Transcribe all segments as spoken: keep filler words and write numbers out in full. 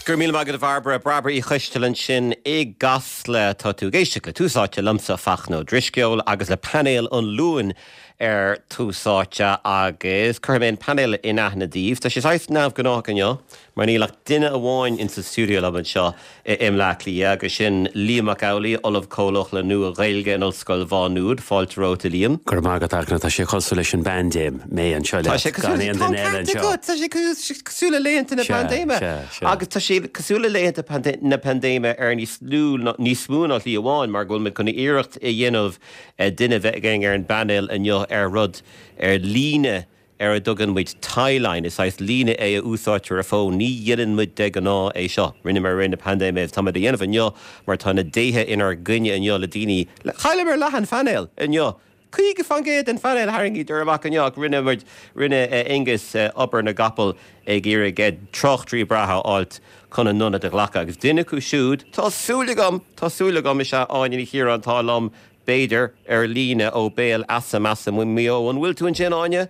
Go raibh míle maith agat a Bhairbre Bairbre Uí Choisteal ansin i gCasla tá tú ag éisteacht le Tús Áite liomsa Fachtna Ó Drisceoil agus le painéal an Luain ar Tús Áite agus cuirfidh mé an painéal in aithne daoibh. Tá sé saghas neamhghnách inniu mar níl ach duine amháin in sa studio liom anseo i mBleá Cliath agus sin Liam Mac Amhlaigh Ollamh Comhlach le Nua Ghaeilge in Ollscoil Mhá Nuad fáilte romhat a Liam. Gur mar go tá sé cosúil leis an bpaindéim mé anseo Tá sé cosúil Tá sé cosúil le laethanta na paindéime agus tá sé cosúil le laethanta na paindéime ar níos lú níos mó ná slí amháin mar go bhfuil muid chun iarracht a dhéanamh duine bheith againn ar an bpainéal inniu ar rud ar líne ar a dtugann muid Tie-line is é líne é a úsáidtear ar fón ní dhéanann muid de ghnáth é seo. Rinne mar rinne paindéime tá a dhéanamh inniu mar tá na déithe inár gcoinne inniu le daoine chailleamar leath an phainéil inniu. Caoga faoin gcéad den phainéal tharraingíodar amach inniu rinne muid rinne Angus obair na gcapall ag iarraidh tráchtairí breátha a fháil chun a n-ionad a ghlacadh agus duine acu siúd Tá súil agam Tá súil agam is ea Áine Ní Chiaráin atá liom b'fhéidir ar líne ó Béal Easa Measa Maigh Eo an bhfuil tú ansin Áine?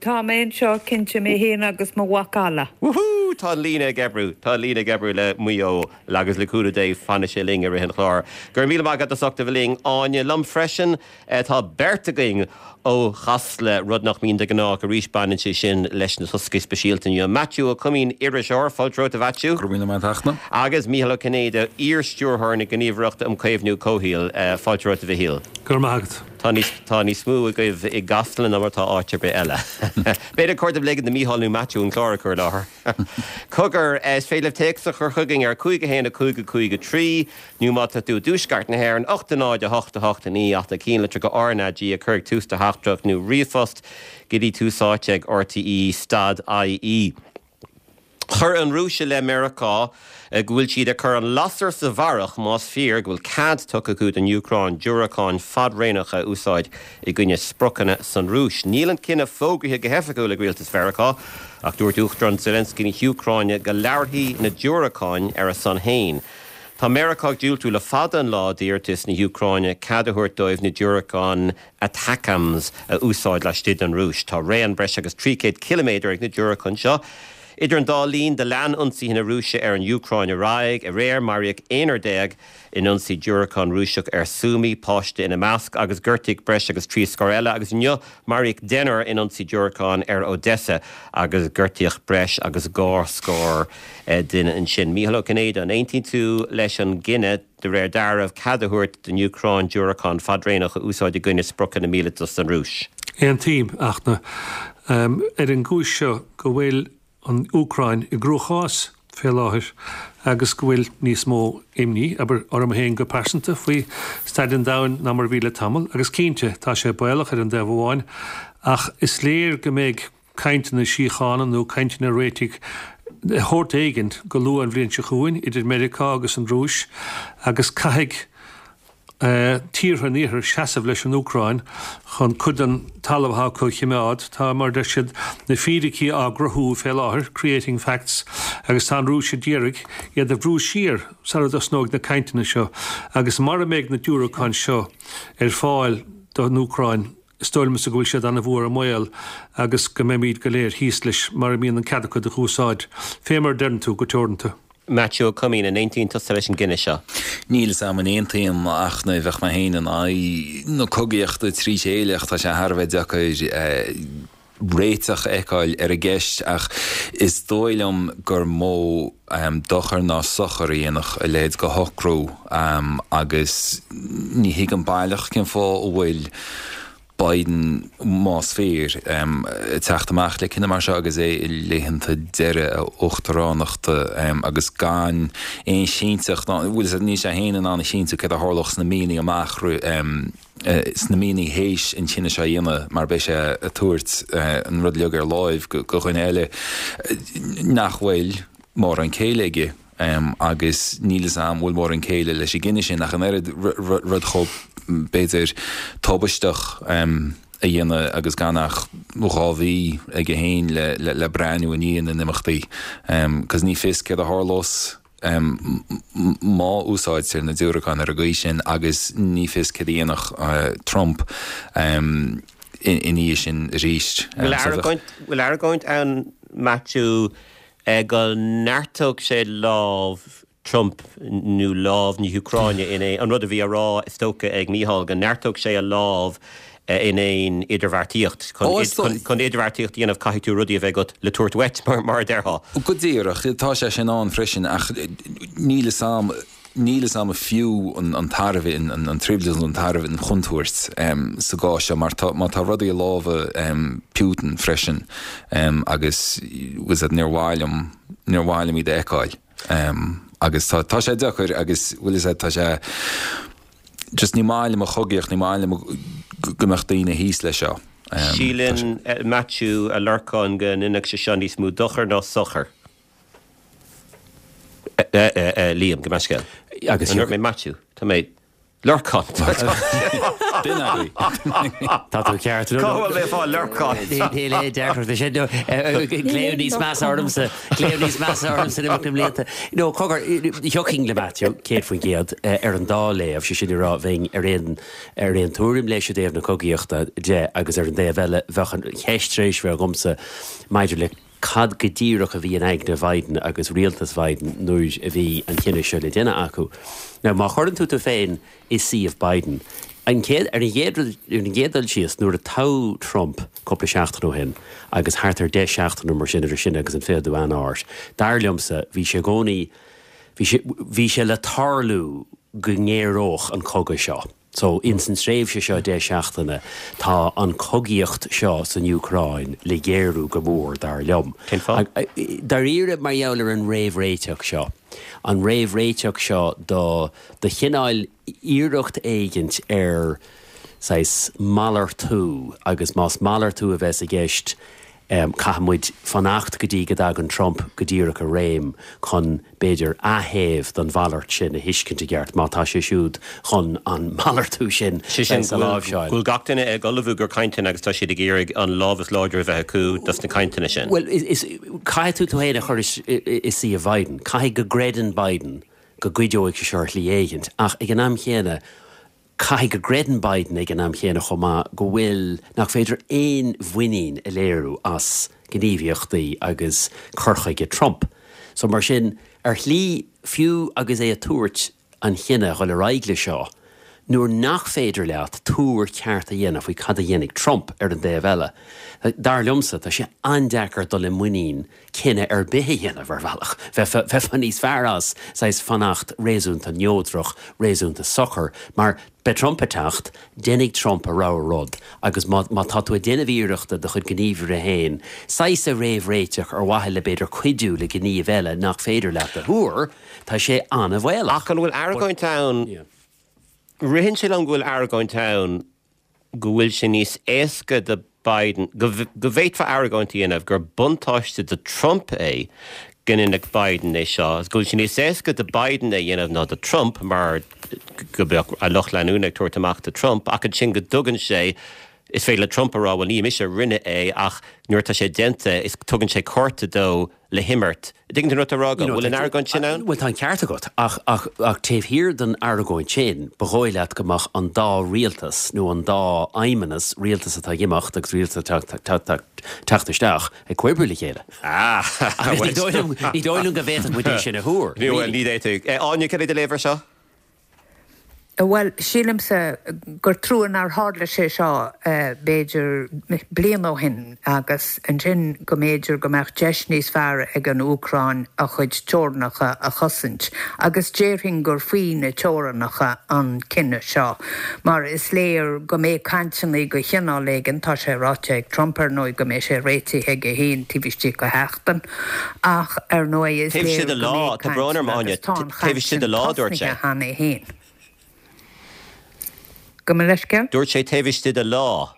Tá mé anseo cinnte mé féin agus mo mhacalla. Woohoo Tá líne ag oibriú Tá líne ag oibriú le Maigh Eo agus le cúnamh Dé fanfaidh sé linn i rith an chláir. Gur míle maith agat as ucht a bheith linn Áine liom freisin tá beirt againn ó Chasla rud nach mbíonn de ghnáth arís baineann sé sin leis na toscaí speisialta inniu. Maitiú Ó Coimín iriseoir fáilte romhat a Mhaitiú. Gur míle maith agat. Agus Mícheál Ó Cinnéide iar-stiúrthóir na Gníomhaireachta um Chaomhnú Comhshaoil fáilte romhat a Mhichíl. Gur maith. Tá níos tá níos mó agaibh i gCasla ná mar tá áit ar bith eile. B'fhéidir cuairt le na Mícheál nó Maitiú an clár chur láthair. Cogar is féidir téacs a chur chugainn ar cúig a haon a cúig a cúig a trí nó má tá tú i dtuaisceart na hÉireann ocht a náid a hocht a hocht a naoi ach ceannlitreacha RnaG a chur ag tús do theachtaireacht nó ríomhphost go dtí tús áite ag RTE stad IE. Chuir an Rúis le Meiriceá go bhfuil siad ag cur an lasair sa bharrach más fíor go bhfuil cead tugtha acu don Úcráin diúracáin fadréanacha a úsáid i gcoinne spriocanna san Rúis. Níl an cinneadh fógraithe go hoifigiúil ag rialtas Mheiriceá ach dúirt Uachtarán Zelensky na hÚcráine go labharfaidh na diúracáin ar a son féin. Tá Meiriceá ag diúltú le fada an lá d'iarratas na hÚcráine cead a thabhairt dóibh na diúracáin ATACMS a úsáid laistigh den Rúis. Tá raon breis agus trí chéad ciliméadar ag na diúracáin seo. Idir an dá linn do lean ionsaithe na Rúise ar an Úcráin ar aghaidh aréir maraíodh aonrar déag in ionsaí diúracán Rúiseach ar Sumy páiste ina measc agus gortaíodh breis agus trí scór eile agus inniu maraíodh deichniúr in ionsaí diúracán ar Odessa agus gortaíodh breis agus dhá scór duine ansin. Mícheál Ó Cinnéide an aontaíonn tú leis an gcinneadh de réir dealraimh cead a thabhairt don Úcráin diúracáin fadréanach a úsáid i gcoinne spriocanna míleata san Rúis. Aontaím ach na um, ar an gcúis seo go bhfuil an Úcráin i gcruachás fé láthair agus go bhfuil níos mó imní aber orm féin go pearsanta faoi staid an domhain ná mar bhí le tamall agus cinnte tá sé baolach ar an dtaobh amháin ach is léir go mbeidh cainteanna síochána nó cainteanna réitigh sórt éigin go luath an bhliain seo chugainn idir Meiriceá agus an Rúis agus caithfidh uh, tíortha an iarthair seasamh leis an Úcráin chun cuid den talamh acu a choimeád tá mar deir siad na fíricí á gcruthú fé láthair creating facts agus tá an Rúis ag iarraidh iad a bhrú siar sara dtosnóidh na cainteanna seo agus mar a mbeidh na diúracáin seo ar fáil don Úcráin is dóigh liomsa go bhfuil siad an-mhór i mbaol agus go mbeimid go léir thíos leis mar a mbíonn an cead acu a úsáid fé mar deireann tú go teoranta. Maitiú Ó Coimín an aontaíonn tusa leis an gcinneadh seo. Níl sam an aontaím ach na bheith me héin an aghaidh na cogaíochta trí chéile tá sé thar a bheith deacair réiteach a fheiceáil ar an gceist ach is dóigh liom gur mó um, dochar ná sochar a dhéanfadh a leithéid de shocrú um, agus ní thuigim baileach cén fáth a bhfuil Biden más fíor um, teacht amach le cinneadh mar seo agus é i laethanta deiridh a uachtaránachta um, agus gan aon chinnteacht bhfuil ní sé féin in ann a chinntiú céard a tharlódh sna míonna amach um, uh, sna míonna théis an cinneadh seo a dhéanamh mar beidh sé ag tabhairt uh, an rud uilig ar láimh go, go dhuine eile nach bhfuil mórán céille aige. Um, agus níl am bhfuil mórán céille leis an gcinneadh sin ach an oiread rud chomh b'fhéidir tubaisteach um, a dhéanamh agus gan ach dhá mhí aige féin le, le, le breathnú i ndiaidh na n-imeachtaí. Um, Cos ní fios céard a tharlós um, má úsáidtear na diúracáin ar an gcaoi sin agus ní fios céard a dhéanfadh uh, Trump um, ina dhiaidh sin arís. Bhfuil argóint ann Maitiú go neartódh sé lámh Trump nó lámh na hÚcráine in é an rud a bhí á rá is dócha ag Mícheál go neartódh sé a lámh in aon idirbheartaíocht. Chun idirbheartaíocht a dhéanamh caithfidh tú rudaí a bheith agat le tabhairt uait mar mar a déarfá. Go díreach, tá sé sin ann freisin ach níl fhios a'm níl fhios a'm fiú an an tairbhe an an trioblóid an tairbhe an chontúirt sa gcás seo mar tá má tá rudaí i lámha Putin freisin agus was níor mhaith liom níor mhaith liom iad a fheiceáil agus tá tá sé deacair agus bhfuil fhios tá sé just ní maith liom an chogaíocht ní maith liom go mbeadh daoine thíos leis seo. Síleann Matthew a Lorcáin go ndéanfadh sé seo níos mó dochar ná sochar. Liam go meascéal. Agus mé Matthew Tá mé Lorcán. Duine Tá tú ceart. Cá bhfuil mé fá Lorcán? Níl aon deacracht sé glaoch níos measa ormsa glaoch níos measa ormsa na blianta. No cogar thiocfainn le Matthew céad faoin gcéad ar an dá léamh sé sin a rá bheinn ar aon ar aon tuairim leis i dtaobh na cogaíochta de agus ar an dtaobh eile bheadh an cheist tar éis bheith agamsa maidir le cad go díreach a bhí in aigne Biden agus rialtas Biden nuair a bhí an cinneadh seo le déanamh acu. Now má chuireann tú tú féin i suíomh Biden, an chéad ar an gcéad ar an gcéad dul síos nuair a toghadh Trump cúpla seachtain ó shin agus thart ar deich seachtain nó mar sin idir sin agus an fichiú Eanáir, dar liomsa bhí sé i gcónaí bhí sé bhí sé le tarlú go ngéaródh an cogadh seo. So ins an tréimhse seo deich seachtaine tá an chogaíocht seo san Úcráin le géarú go mór dar liom. Cén fáth? Dáiríre mar gheall ar an réamhréiteach seo. An réamhréiteach seo do do chineál iarracht éigint ar saghas malartú agus más malartú a bheas i gceist um, caithfidh muid fanacht go dtí go dtagann Trump go díreach i réim chun b'fhéidir athaobh don mhalairt sin a thuiscint i gceart má tá sé siúd chun an malartú sin Sé sin sa láimhseáil. go bhfuil gach duine ag ullmhú do chainteanna agus tá siad ag iarraidh an lámh is láidre a bheith acu dos na cainteanna sin. Well is, is caithfidh tú tú féin a chur i suíomh Biden, caithfidh go gcreideann Biden go gcuideoidh sé seo ar shlí éigint, ach ag an am chéanna caithfidh go gcreideann Biden ag an am chéanna chomh maith go bhfuil nach féidir aon mhuinín a léiriú as gníomhaíochtaí agus cur chuige Trump. So mar sin ar shlí fiú agus é ag tabhairt an chinneadh dhul ar aghaidh le seo, nuair nach féidir leat tuar ceart a dhéanamh faoi cad a dhéanfaidh Trump ar an dtaobh eile. Dar liomsa tá sé an-deacair dul i muinín cinneadh ar bith a dhéanamh ar bhealach. Bheifeá níos fearr as saghas fanacht réasúnta neodrach, réasúnta socair, mar beidh Trump ag teacht, déanfaidh Trump a rogha rud, agus má má tá tú ag déanamh iarrachta do chuid gníomhartha féin, saghas a réamhréiteach ar mhaithe le b'fhéidir cuidiú le gníomh eile nach féidir leat a thuar, tá sé an-bhaolach. Ach an bhfuil argóint ann Ritheann sé liom go bhfuil argóint ann go bhfuil sé níos éasca do Biden go go bhféadfá argóint a dhéanamh gur buntáiste do Trump é go ndéanfadh Biden é seo, go bhfuil sé níos éasca do Biden é dhéanamh ná do Trump mar go mbeadh a lucht leanúna ag tabhairt amach do Trump ach ansin go dtugann sé is féidir le Trump a rá well ní mise a rinne é ach nuair atá sé déanta is tugann sé cárta dó le himirt. Tuigeann tú an rud atá á rá agam, bhfuil an argóint sin ann? Bhuel tá an ceart agat ach ach ach taobh thiar den argóint sin ba dhóigh leat go mbeadh an dá rialtas nó an dá fheidhmeannas rialtas atá ag imeacht agus rialtas atá teacht isteach ag comhoibriú le chéile. Ah Ní dóigh liom ní dóigh liom go bhféadfadh muid é sin a thuar. Ní bhfuil ní fhéadfadh. Áine cad é do léamh air seo? Bhuel, sílimse gur trua nár tharla sé seo b'fhéidir bliain ó shin agus ansin go mb'fhéidir go mbeadh deis níos fearr ag an Úcráin a chuid teorainneacha a chosaint. Agus déarfainn gur faoi na teorainneacha an cinneadh seo. Mar is léir go mbeidh cainteanna de chineál éigin, tá sé ráite ag Trump ar ndóigh go mbeidh sé réitithe aige féin taobh istigh de sheachtain, ach ar ndóigh is Taobh léir istigh de go lá, mbeidh tá brón orm cainteanna Áine, agus tá an taobh chaint istigh sin de lá dúirt sé. tosnaithe cheana féin. Gabh mo leithscéal? Dúirt sé taobh istigh de lá.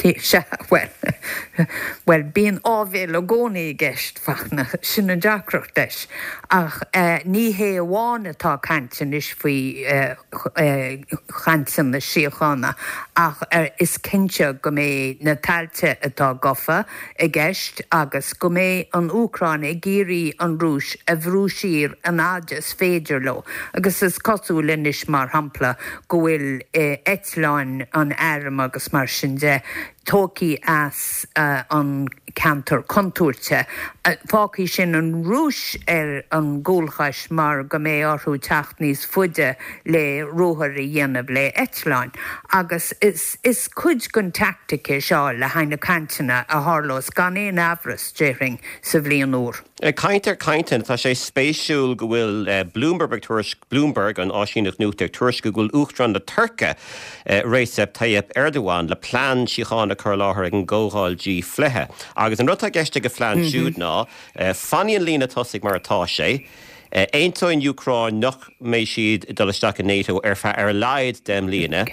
Sea, bhuel, bhuel, bíonn áibhéil i gcónaí i gceist, Fachtna, sin an deacracht leis. Ach ní hé amháin atá caint anois faoi chainteanna síochána, ach is cinnte go mbeidh na tailte atá gafa i gceist agus go mbeidh an Úcráin ag iarraidh an Rúis a bhrú siar an fhad is féidir leo. Agus is cosúil anois mar shampla go bhfuil eitleáin an airm agus mar sin de tógtha as an ceantar contúirte. Fágfaidh sin an Rúis ar an gcúlchais mar go mbeidh orthu teacht níos faide le ruathar a dhéanamh le eitleáin. Agus is is cuid den teaictic é seo le haghaidh na cainteanna a tharlós gan aon amhras, déarfainn, sa bhliain úr. Ag caint ar cainteanna, tá sé spéisiúil go bhfuil Bloomberg ag tuairisc, Bloomberg, an áisíneacht nuachta, ag tuairisciú go bhfuil Uachtarán na Tuirce, Recep Tayyip Erdogan, le plean síochána a chur i láthair ag an gcomhdháil G fiche. Agus an rud atá i gceist ag a phlean siúd ná, fanfaidh an líne tosaigh mar atá sé, aontóidh an Úcráin nach mbeidh siad ag dul isteach i NATO ar feadh ar a laghad deich mbliana,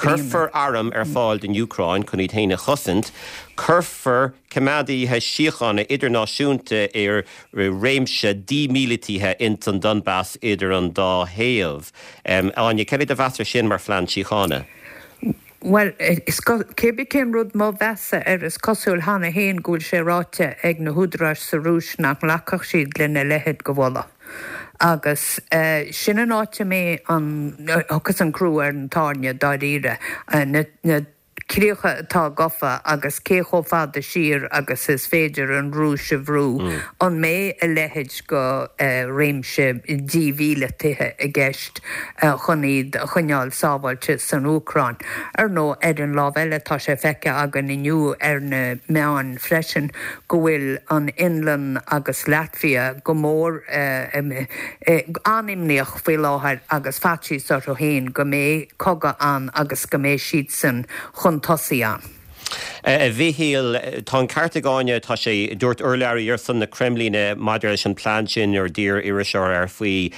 cuirfear airm ar fáil don Úcráin chun iad féin a chosaint, cuirfear coimeádaithe síochána idirnáisiúnta i réimse dímhíleataithe ins an Donbas idir an dá thaobh. Áine, céard é do mheas air sin mar phlean síochána? Bhuel, cé bith cén rud mo mheas-sa air, is cosúil cheana féin go bhfuil sé ráite ag na húdaráis sa Rúis nach nglacfadh siad lena leithéid de mholadh. Agus sin an áit a mbeidh an, thiocfas an crú ar an tairne dáiríre, na críocha atá gafa agus cé chomh fada siar agus is féidir an Rúis a bhrú, an mbeidh a leithéid de réimse dímhíleataithe i gceist chun iad a choinneáil sábháilte san Úcráin? Ar ndóigh, ar an lámh eile, tá sé feicthe againn inniu ar na meáin freisin go bhfuil an Fhionlainn agus Latvia go mór an-imníoch faoi láthair agus faitíos orthu féin go mbeidh cogadh ann agus go mbeidh siadsan chun tosaigh ann. A Mhichíl, tá an ceart ag Áine, tá sé, dúirt urlabhraí ar son na Creimlíne maidir leis an bplean sin nuair a d'iarr iriseoir air faoi,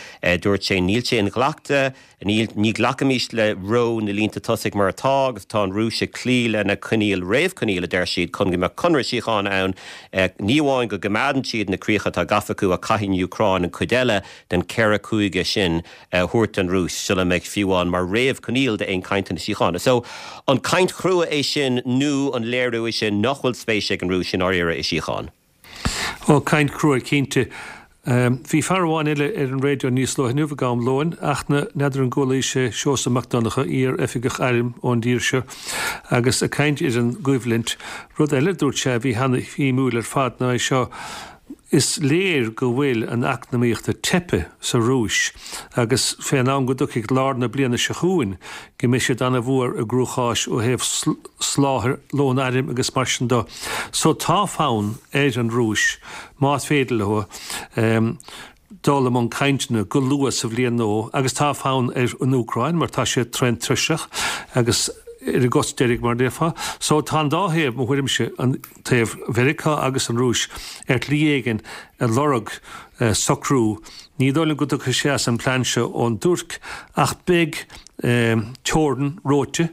dúirt sé, níl sé inghlactha, níl, ní ghlacfaimis le reo na línte tosaigh mar atá agus tá an Rúis ag cloí lena coinníoll, réamhchoinníoll a deir siad, chun go mbeadh conradh síochána ann, ní amháin go gcoimeádann siad na críocha atá gafa acu ach caithfidh an Úcráin an chuid eile den ceithre chúige sin a thabhairt don Rúis sula mbeidh fiú amháin mar réamhchoinníoll d'aon chainteanna síochána. So, an caint chrua é sin nó an léiriú é sin nach bhfuil spéis ag an Rúis i ndáiríre i síocháin? Ó, caint chrua cinnte. Bhí fear amháin eile ar an raidió níos luaithe inniu ag am lóin, ach n'fheadar an gcualaís é, Seosamh Mac Donncha, iar-oifigeach airm ón dtír seo, agus ag caint ar an gcoimhlint. Rud eile a dúirt sé a bhí an-shuimiúil ar fad ná é seo, Is léir go bhfuil an eacnamaíocht ag teipeadh sa Rúis agus fén am go dtiocfaidh lár na bliana seo chugainn go mbeidh siad ana-mhór i gcruachás ó thaobh soláthair lón airm agus mar sin de. So tá fonn ar an Rúis, más féidir leo, dul i mbun cainteanna go luath sa bhliain nua agus tá fonn ar an Úcráin mar tá siad tréan tuirseach agus ar a gcos deiridh mar a déarfá. So tá an dá thaobh, mo thuairimse, an taobh Mheiriceá agus an Rúis, ar shlí éigin ag lorg socrú. Ní dóigh liom go dtiocfaidh sé as an bplean seo ón dTuirc ach beidh teorainn reoite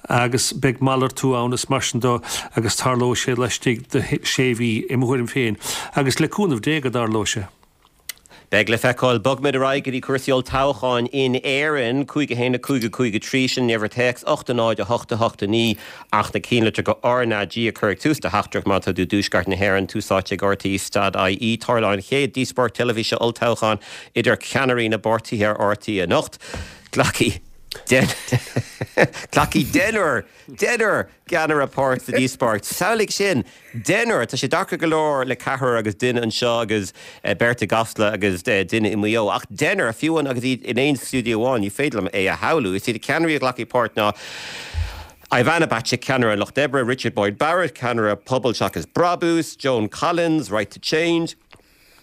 agus beidh malartú ann is mar sin de agus tarlóidh sé laistigh de shé mhí, i mo thuairim féin, agus le cúnamh Dé go dtarlóidh sé. Beidh le feiceáil. Bogfaimid ar aghaidh go dtí cúrsaí olltoghcháin in Éirinn. Cúig a haon a cúig a cúig a trí, sin an uimhir téacs, ocht a náid a hocht a hocht a naoi ach na cinnlitreacha R N A G a chur ag tús do theachtaireacht má tá tú i dTuaisceart na hÉireann. Tús Áite ag R T E stad I E. Tarlóidh an chéad díospóireacht teilifíse olltoghcháin idir ceannairí na bpáirtithe ar R T E anocht. Glacfaidh Glacfaidh deichniúr, deichniúr gceannaire páirt sa díospóireacht. Samhlaigh sin! Deichniúr! Tá sé deacair go leor le ceathrar agus duine anseo agus beirt i gCasla agus duine i Maigh Eo. Ach deichniúr, fiú amháin agus iad in aon stiúideo amháin, ní féidir liom é a shamhlú. Is iad na ceannairí a ghlacfaidh páirt ná Ivana Bacik, ceannaire an Lucht Oibre, Richard Boyd Barrett, ceannaire Pobal Seachas Brabús, Joan Collins, Right to Change,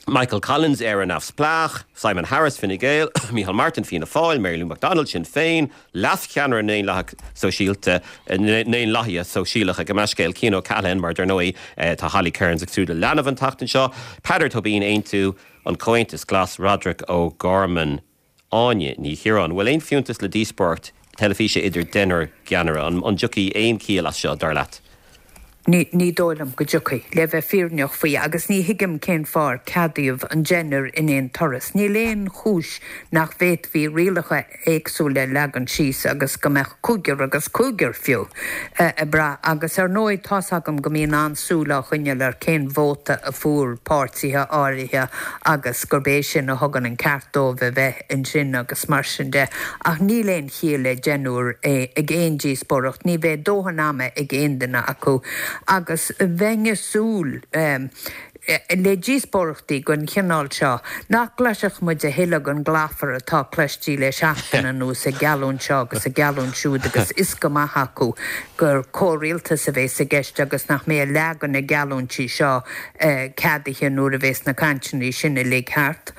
Michael Collins, Éire Neamhspleách, Simon Harris, Fine Gael, Micheál Martin, Fianna Fáil, Mary Lou McDonald, Sinn Féin, Leas-Cheannaire na nDaonlathaithe Sóisialta, na nDaonlathaithe Sóisialacha, gabh mo leithscéal, Cian O'Callaghan, mar dar ndóigh tá Holly Cairns ag súil le leanbh an tseachtain seo, Peadar Tóibín, Aontú, an Comhaontas Glas, Roderic O'Gorman. Áine Ní Chiaráin, Bhfuil aon fiúntas le díospóireacht teilifíse idir deichniúr gceannaire? An dtiocfaidh aon chiall as seo, dar leat? Ní, ní dóigh liom go dtiocfaidh, le bheith fírinneach faoi, agus ní thuigim cén fáth ar ceadaíodh an deichniúr in aon turas. Níl aon chúis nach bhféadfaí rialacha éagsúla a leagan síos agus go mbeadh cúigear agus cúigear fiú ag brath. Agus ar ndóigh tá's agam go mbíonn an-súil á choinneáil ar cén vóta a fuair páirtithe áirithe agus gurb é sin a thugann an ceart dóibh a bheith ansin agus mar sin de. Ach níl aon chiall le deichniúr ag aon díospóireacht, ní bheidh dóthain ama ag aon duine acu. Agus bheinn ag súil le díospóireachtaí den chineál seo, nach gcloisfeadh muid a thuilleadh den gclafar atá cloiste le seachtain anuas, ag geallúint seo agus ag geallúint siúd agus is go maith acu gur comhrialtas a bheas i gceist agus nach mbeidh a leath de na geallúintí seo ceadaithe nuair a bheas na cainteanna sin uilig thart.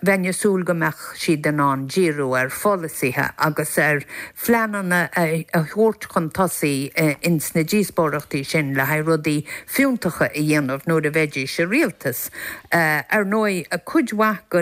Bheinn ag súil go mbeadh siad in ann díriú ar pholasaithe agus ar phleananna a thabhairt chun tosaigh ins na díospóireachtaí sin le haghaidh rudaí fiúntacha a dhéanamh nuair a bheidís sa rialtas. Ar ndóigh, cuid mhaith de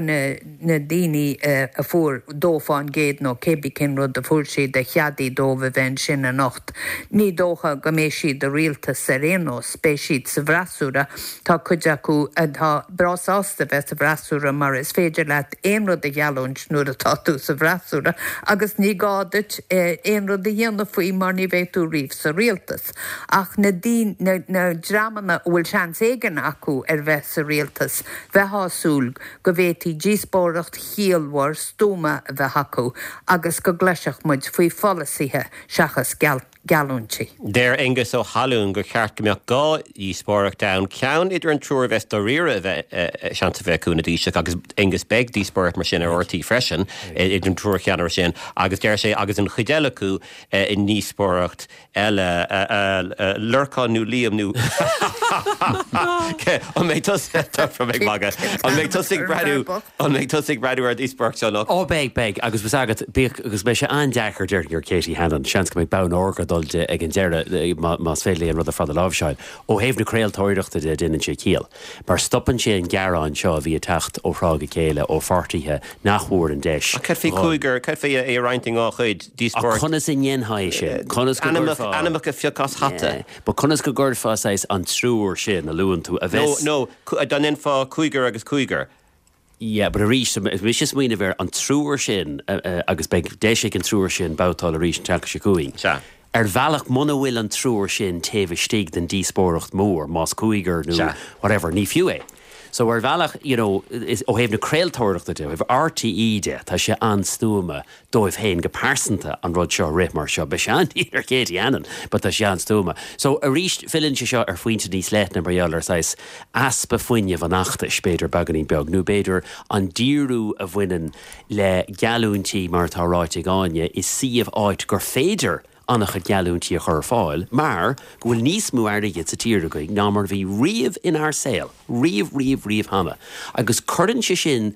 na daoine a fuair dó fán gcéad nó cébí cén rud a fuair siad a cheadaigh dóibh a bheith ansin anocht, ní dócha go mbeidh siad i rialtas ar aon nós, beidh siad sa bhfreasúra. Tá cuid acu atá breá sásta bheith sa bhfreasúra mar is féidir leat aon rud a gheallúint nuair atá tú sa bhfreasúra agus ní gá duit aon rud a dhéanamh faoi mar ní bheidh tú riamh sa rialtas. Ach na na dreamanna a bhfuil seans éigin acu ar bheith sa rialtas, bheifeá ag súil go bhféadfaí díospóireacht chiallmhar stuama a bheith acu agus go gcloisfeadh muid faoi pholasaithe seachas geallúintí. Deir Aengus Ó hAlúin gur cheart go mbeadh dhá dhíospóireacht ann, ceann idir an triúr a bheas dáiríre a bheith seans a bheith acu ina dTaoiseach agus Aengus beidh díospóireacht mar sin ar RTÉ freisin idir an triúr cheannaire sin agus deir sé agus an chuid eile acu i ndíospóireacht eile, Lorcán nó Liam nó An mbeidh tusa ag magadh? An mbeidh tusa ag breathnú An mbeidh tusa ag breathnú ar an díospóireacht seo nó? Ó beidh, beidh, agus bheas agat, bíodh agus beidh sé an-deacair déarfainn ar Katie Hannon, seans go mbeidh bonn órga ag dul di ag an deireadh más féidir léi an rud ar fad a láimhseáil. Ó thaobh na craoltóireachta de déanann sé ciall, mar stopann sé an gearán seo a bhí ag teacht ó thráth go chéile ó pháirtithe nach bhfuair an deis. Ach cad faoi cúigear, cad faoi é a roinnt in dhá chuid, díospóireacht. Ach conas a ndéanfá é sin? Conas go gcuirfeá. Ainmneacha a phiocadh as hata. Yeah. But conas go gcuirfeá saghas an triúr sin a luann tú a bheas. No, no, dá ndéanfá cúigear agus cúigear. Yeah, but arís, mise ag smaoineamh ar an triúr sin agus beidh deis ag an triúr sin babhtáil arís an tseachtain seo chugainn. Sea. Ar bhealach, muna bhfuil an triúr sin taobh istigh den díospóireacht mhór, más cúigear nó whatever, ní fiú é. So ar bhealach, you know, is, ó thaobh na craoltóireachta de, ó thaobh RTÉ de, tá sé an-stuama dóibh féin go pearsanta an rud seo a rith mar seo. Beidh sé an-dian ar Katie Hannon, but tá sé an-stuama. So arís, filleann sé seo ar phointe níos leithne mar gheall ar saghas easpa fuinnimh an fheachtais, b'fhéidir beagáinín beag, nó b'fhéidir an díriú a bhaineann le geallúintí mar atá ráite ag Áine i suíomh áit gur féidir an-chuid geallúintí a chur ar fáil mar go bhfuil níos mó airgid sa tír againn ná mar a bhí riamh inár saol, riamh, riamh, riamh cheana. Agus cuireann sé sin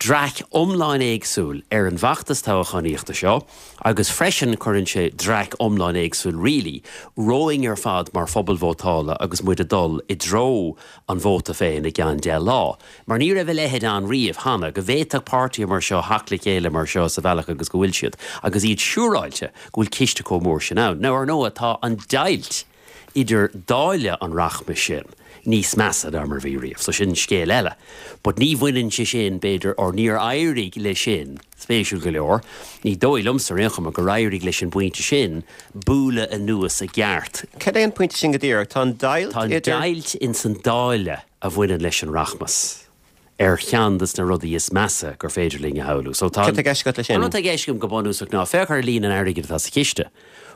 dreach iomlán éagsúil ar an bhfeachtas toghchánaíochta seo agus freisin cuireann sé dreach iomlán éagsúil really romhainn ar fad mar phobal vótála agus muid ag dul i dtreo an vóta féin i gceann deich lá. Mar ní raibh a leithéid ann riamh cheana, go bhféadfadh páirtithe mar seo theacht le chéile mar seo sa bhealach agus go bhfuil siad, agus iad siúráilte go bhfuil ciste chomh mór sin ann. Now, ar ndóigh, tá an deighilt idir dáileadh an rachmais sin níos measa ná mar a bhí riamh, so sin scéal eile. But ní bhaineann sé sin, b'fhéidir, or níor éirigh le sin, spéisiúil go leor, ní dóigh liomsa ar aon chuma gur éirigh leis an bpointe sin bualadh anuas i gceart. Cad é an pointe sin go díreach? Tá an deighilt Tá an idir. deighilt ins an dáileadh a bhaineann leis an rachmas ar cheann de na rudaí is measa gur féidir linn a shamhlú. So tá Cad tá i gceist agat leis sin? An rud atá i gceist agam go bunúsach ná féach ar líon an airgid atá sa chiste.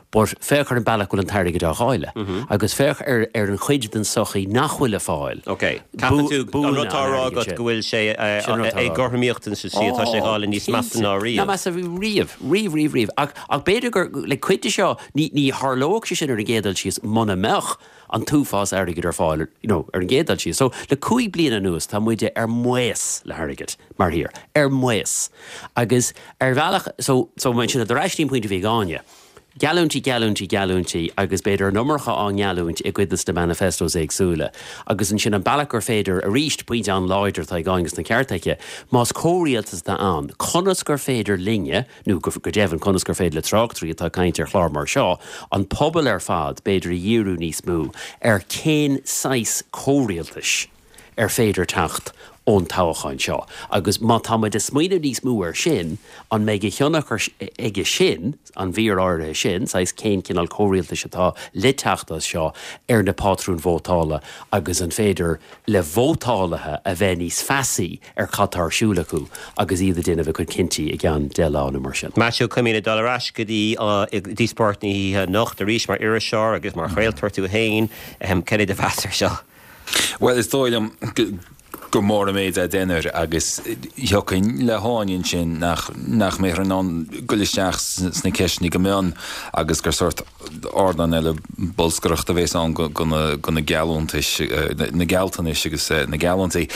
But féach ar an bealach go bhfuil an t-airgead á dháileadh. Agus féach ar ar an chuid den sochaí nach bhfuil ag fáil. Ok. Ceapann tú an rud atá á rá agat go bhfuil sé éagothromaíocht sa tslí atá sé á dháileadh níos measa ná riamh. Ná measa riamh, riamh, riamh, riamh. Ach ach b'fhéidir gur le cuid de seo ní ní tharlódh sé sin ar an gcéad dul síos muna mbeadh an t-uafás airgid ar fáil you know, ar an gcéad dul síos. So le cúig bliana anuas tá muide ar maos le hairgead mar thír, ar maos. Agus ar bhealach so so mar sin ar ais go dtí an pointe a bhí ag Áine. Geallúintí, geallúintí, geallúintí agus b'fhéidir an iomarca á ngeallúint i gcuid de na manifestos éagsúla. Agus ansin an bealach gur féidir, arís, pointe an-láidir atá ag Áine agus an ceart aici, más comhrialtas atá ann, conas gur féidir linne, nó go deimhin conas gur féidir le tráchtairí atá ag caint ar chlár mar seo, an pobal ar fad, b'fhéidir a dhíriú níos mó ar cén saghas comhrialtais ar féidir teacht ón toghchán seo. Agus má tá muid ag smaoineamh níos mó air sin, an mbeidh a thionchar aige sin, an mhír áirithe sin, saghas cén cineál comhrialtais atá le teacht as seo ar na pátrúin vótála agus an féidir le vótálaithe a bheith níos feasaí ar cad tá ar siúl acu agus iad ag déanamh a gcuid cinntí i gceann deich lá nó mar sin. Maitiú Cuimín ag dul ar ais go dtí díospóireacht na hoíche anocht arís mar iriseoir agus mar chraoltóir tú féin, cad é do mheas air seo? Bhuel, is dóigh liom gur mór an méid é deichniúr agus thiocfainn le hÁine ansin nach nach mbeifear in ann dul isteach sna ceisteanna go mion agus gur sórt ardán eile bolscaireachta a bheas ann go na geallúntais, na gealltanais agus na geallúintí.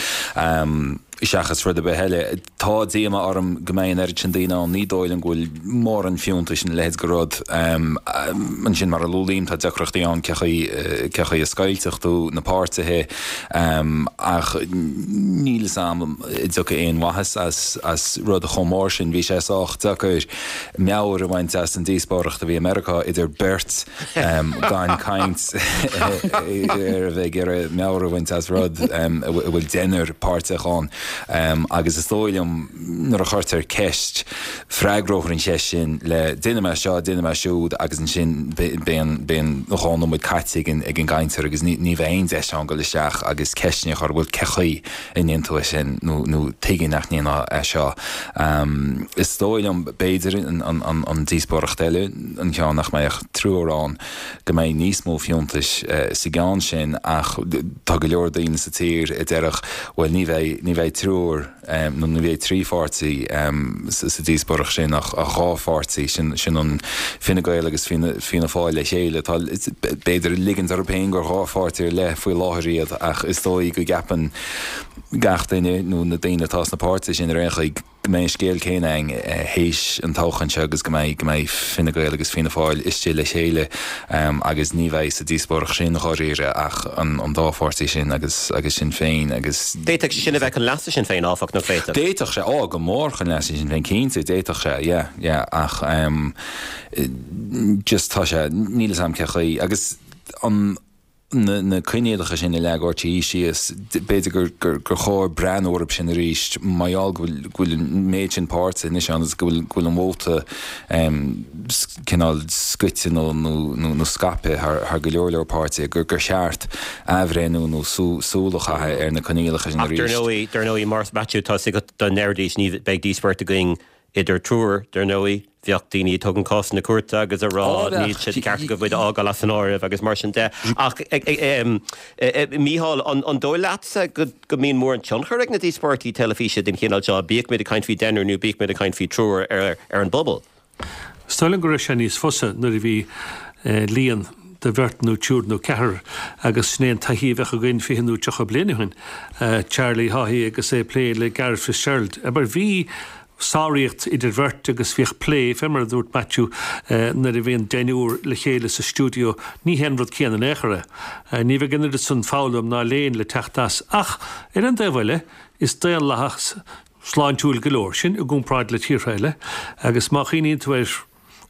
Seachas rud ar bith eile, tá díoma orm go mbeidh an oiread sin daoine ann, ní dóigh liom go bhfuil mórán fiúntais ina leithéid de rud. Ansin, mar a luaigh Liam, tá deacrachtaí ann cé chaoi, cé chaoi a scoiltfeadh tú na páirtithe ach níl fhios a'm an dtiocfaidh aon mhaitheas as, as rud chomh mór sin. Bhí sé sách deacair meabhair a bhaint as an díospóireacht a bhí i Meiriceá idir beirt gan caint ar a bheith ag iarraidh meabhair a bhaint as rud a bhfuil deichniúr páirteach ann. Agus is dóigh liom nuair a chuirtear ceist, freagrófar an cheist sin le déanfaidh mé seo, déanfaidh mé siúd agus ansin beidh an dhá nóiméad caite ag an gcainteoir agus ní bheidh aon deis ann dul isteach agus ceisteanna a chur, bhuel cé chaoi a ndéanfaidh tú é sin nó nó tuige nach ndéanfá é seo. Is dóigh liom b'fhéidir an díospóireacht eile, an ceann nach mbeidh ach triúr ann, go mbeidh níos mó fiúntais sa gceann sin ach tá go leor daoine sa tír a déarfadh bhuel ní bheidh, ní bheidh triúr nó ní bheidh trí pháirtí sa díospóireacht sin ach dhá pháirtí, sin, sin an Fine Gael agus Fianna, Fianna Fáil le chéile. Tá, b'fhéidir ag ligint orthu féin gur dhá pháirtí ar leith faoi láthair iad ach is dóigh go gceapann gach duine nó na daoine atá sna páirtithe sin ar aon chaoi go mbeidh an scéal céanna ann théis an toghcháin seo agus go mbeidh go mbeidh Fine Gael agus Fianna Fáil istigh le chéile agus ní bheidh sa díospóireacht sin dháiríre ach an an dá pháirtí sin agus agus Sinn Féin agus. D'fhéadfadh sé sin a bheith chun leasa Sinn Féin áfach, nach bhféadfadh? D'fhéadfadh sé, á go mór chun leasa Sinn Féin cinnte, d'fhéadfadh sé, yeah, yeah ach just tá sé, níl 'fhios a'm cé chaoi agus an na coinníollacha sin a leag RTÉ síos, b'fhéidir gur chóir breathnú orthu sin arís mar gheall go bhfuil an méid sin páirtithe anois ann agus go bhfuil an vóta cineál scoite nó scaipthe thar go leor leor páirtithe, gur cheart athbhreithniú nó súil a chaitheamh ar na coinníollacha sin arís. Ach dar ndóigh, mar Matthew, tá 'fhios agat dá ndéarfaidís ní bheidh díospóireacht againn idir triúr, dar ndóigh, bheadh daoine ag tógaint cásanna cúirte agus ag rá níl sé de cheart agaibh muid a fhágáil as an áireamh agus mar sin de. Ach, Mícheál, an dóigh leatsa go mbíonn mórán tionchar ag na díospóireachtaí teilifíse den chineál seo, bíodh muid ag caint faoi deichniúr nó bíodh muid ag caint faoi triúr, ar an bpobal? Is dóigh liom go raibh sé níos fusa nuair a bhí líon de bheirt nó triúr nó ceathrar agus sin é an taithí a bheadh againn fiche nó tríocha bliain ó shin, Charlie Haughey agus é ag plé le Garret Fitzgerald. Abair, bhí sáraíocht idir bheirt agus bhíodh plé, fé mar a dúirt Maitiú, nuair a bhíonn deichniúr le chéile sa stiúideo, ní hé an rud céanna in aon chor é. Ní bheidh an oiread san foghlaim ná léinn le teacht as. Ach, ar an dtaobh eile, is daonlathas sláintiúil go leor sinn i gcomparáid le tíortha eile agus má chuimhníonn tú air,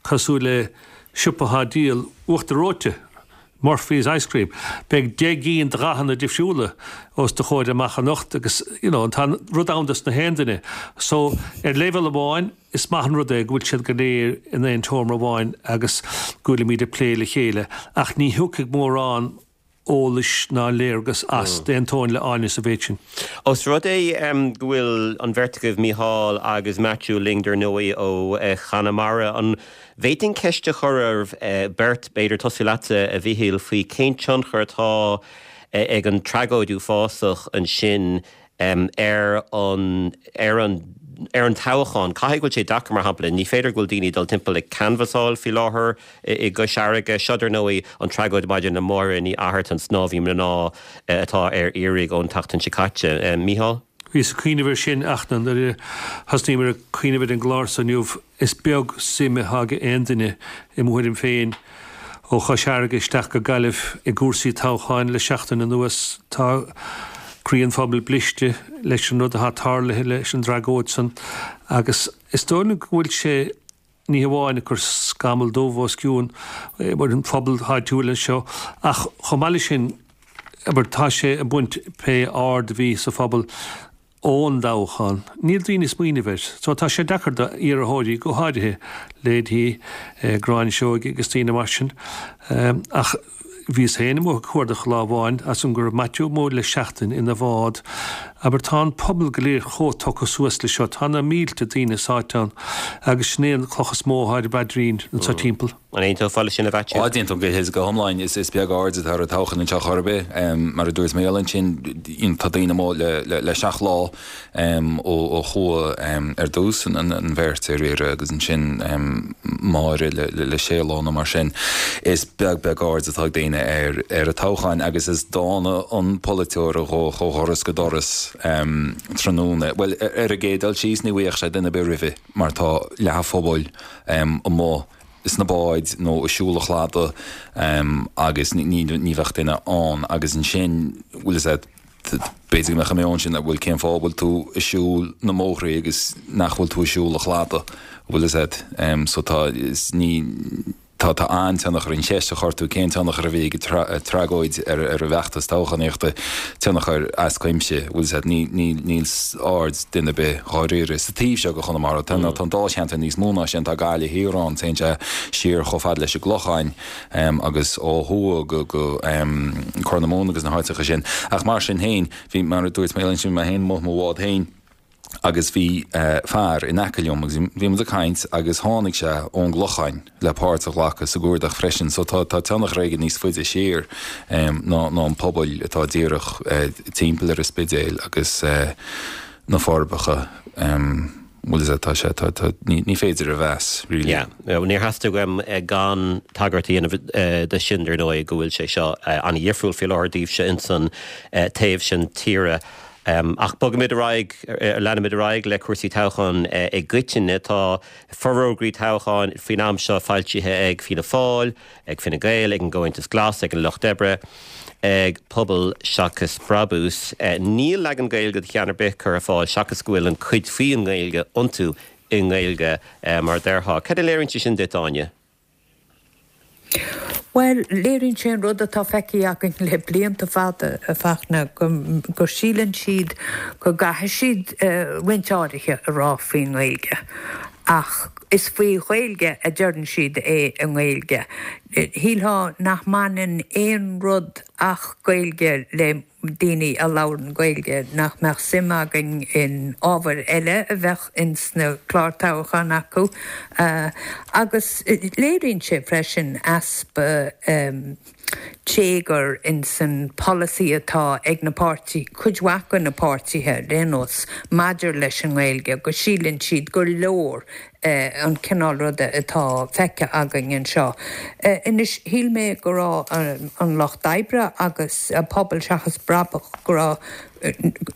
cosúil le siopa atá ag díol uachtar reoite, Murphy's Ice Cream. Beidh deich gcinn de dhathanna difriúla os do chomhair amach anocht agus you know tá rud ann dos na haon duine. So ar leibhéal amháin is maith an rud é go bhfuil siad go léir in aon tseomra amháin agus go bhfuilimid ag plé le chéile ach ní thiocfaidh mórán eolais ná léargas as. D'aontóinn le Áine sa mhéid sin. Ós rud é go bhfuil an bheirt agaibh, Mícheál agus Maitiú, linn dar ndóigh ó Chonamara, an bhféadfainn ceist a chur oraibh beirt, b'fhéidir tosú leatsa, a Mhíchíl, faoi cén tionchar atá ag an tragóid uafásach ansin ar an ar an ar an toghchán. Caithfidh go bhfuil sé deacair, mar shampla, ní féidir go bhfuil daoine ag dul timpeall ag canbhasáil faoi láthair i gCois Fharraige. Seo, dar ndóigh, an tragóid maidir le Máire Ní Fhatharta, an snámhaí mná atá ar iarraidh ón tseachtain seo caite. Mícheál? Bhíos ag cuimhneamh air sin ach nuair a thosnaíomar ag cuimhneamh ar an gclár so inniu, is beag suim atá ag aon duine, i mo thuairim féin, ó Chois Fharraige isteach go Gaillimh i gcúrsaí toghcháin le seachtain anuas. Tá croí an phobail bliste leis an rud atá tarlaithe leis an dtragóid san agus is dóigh liom go bhfuil sé ní hamháin ag cur scamall dubh os cionn ar an phobal áitiúil anseo ach chomh maith leis sin, abair, tá sé ag baint pé aird a bhí sa phobal ón dtoghchán, níl daoine ag smaoineamh air. So tá sé deacair do iarrthóirí go háirithe leithéidí Gráinne Seoige agus daoine mar sin. Ach bhíos féin amuigh ag cuardach lá amháin as an go raibh Maitiú amuigh le seachtain ina bhád. Abair tá an pobal go léir chomh tugtha suas le seo, tá na mílte daoine sáite ann agus sin é an cloch is mó atá ar a bpaidrín anseo timpeall. An aontófá leis sin a Mhaitiú? Á, d'aontóinn go go hiomlán. Is is beag aird atá ar an toghchán anseo chor ar bith. Mar a dúirt Mícheál ansin, tá daoine amuigh le le le seacht lá ó ó chuaigh ar dtús an an bheirt ar iarraidh agus ansin Máire le le le sé lá nó mar sin. Is beag beag aird atá ag daoine ar ar an toghchán agus is dána an polaiteoir a ghabhfadh ó dhoras go doras tráthnóna. Bhuel, ar an gcéad dul síos ní bhfaigheadh sé duine ar bith roimhe mar tá leath an phobail amuigh sna báid nó ag siúl an chladaigh agus ní ní bheadh duine ann agus ansin bhfuil fhios a'd b'fhéidir go mbeadh an meon sin bhuel cén fáth a bhfuil tú ag siúl na mbóithre agus nach bhfuil tú ag siúl an chladaigh bhfuil fhios a'd so tá is ní Tá tá an-tionchar an cheist a chuir tú cén tionchar a bhí ag an tragóid ar ar an bhfeachtas toghchánaíochta, tionchar as cuimse, bhfuil fhios a'd, ní ní níl aird duine ar bith dháiríre sa taobh seo de Chonamara. Tá tá an dáilcheantar níos mó ná sin, tá Gaillimh Thiar ann, téann sé siar chomh fada leis an gClochán agus ó thuaidh go go Corr na Móna agus na háiteacha sin. Ach mar sin féin, bhí mar a dúirt mé ansin mé féin amuigh i mo bhád féin, agus bhí fear in aice liom agus bhí muid ag caint agus tháinig sé ón gClochán le páirt a ghlacadh sa gcuardach freisin so tá tá tionchar aige níos faide siar ná ná an pobal atá díreach timpeall ar an Spidéal agus na Forbacha bhfuil fhios a'd tá sé tá tá ní ní féidir a mheas really. Yeah, níor theastaigh uaim gan tagairt a dhéanamh de sin dar ndóigh go bhfuil sé seo an-dhifriúil faoi láthair daoibhse insan taobh sin tíre. Ach bogaimid ar aghaidh, leanaimid ar aghaidh le cúrsaí toghcháin i gcoitinne. Tá forógraí toghcháin faoin am seo foilsithe ag Fianna Fáil, ag Fine Gael, ag an gComhaontas Glas, ag an Lucht Oibre, ag Pobal Seachas Brabús. Níl leagan Gaeilge de cheann ar bith curtha ar fáil seachas go bhfuil an chuid faoin nGaeilge iontu i nGaeilge, mar a déarfá. Cad a léiríonn sé sin duit, Áine? Bhuel, léiríonn sé an rud atá feicthe againn le blianta fada, a Fachtna, go síleann siad go gcaithfidh siad roinnt áirithe a rá faoin nGaeilge, ach is faoi Ghaeilge a deireann siad é i nGaeilge. Shílfeá nach mbaineann aon rud ach Gaeilge le daoine a labhrann Gaeilge, nach mbeadh suim againn in ábhair eile a bheadh ins na cláir toghcháin acu. Agus léiríonn sé freisin easpa téagair ins an polasaí atá ag na páirtí, cuid mhaith de na páirtithe ar aon nós, maidir leis an nGaeilge, go síleann siad gur leor an cineál ruda atá feicthe againn anseo. Anois, shíl mé go raibh an Lucht Oibre agus Pobal Seachas Brabach, go raibh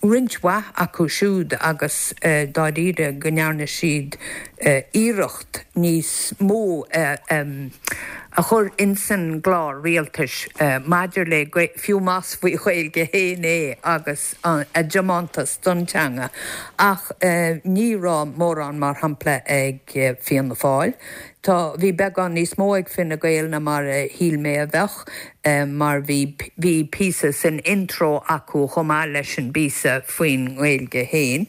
roinnt mhaith acu siúd agus dáiríre go ndearna siad iarracht níos mó a chur insan gclár rialtais maidir le, fiú más faoi Ghaeilge féin é agus a dtiomantas don teanga. Ach ní raibh mórán, mar shampla, ag Fianna Fáil. Tá, bhí beagán níos mó ag Fine Gael ná mar a shíl mé a bheadh, mar bhí, bhí píosa san intro acu chomh maith leis an bpíosa faoin nGaeilge féin,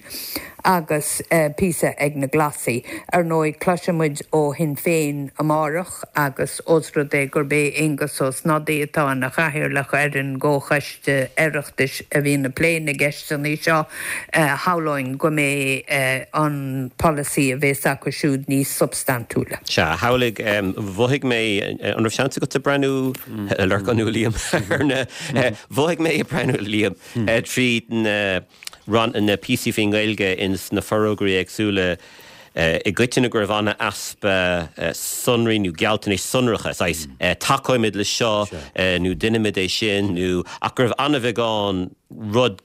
agus píosa ag na Glasaigh. Ar ndóigh, cloisfidh muid ó Shinn Féin amárach agus ós rud é gurb é Aengus Ó Snodaigh atá ina chathaoirleach ar an gComhchoiste Oireachtais a bhíonn ag plé na gceisteanna seo, shamhlóinn go mbeidh an polasaí a bheas acu siúd níos substaintiúla. Sea, shamhlaigh, mhothaigh mé, an raibh seans agat breathnú, a Lorcáin nó a Liam, ar na, mhothaigh mé ag breathnú, a Liam, tríd na, na píosaí faoin nGaeilge ins na forógraí éagsúla i gcoitinne go raibh an-easpa sonraí nó gealltanais sonracha, saghas tacóimid le seo nó déanfaimid é sin nó ach go raibh an-bheagán rud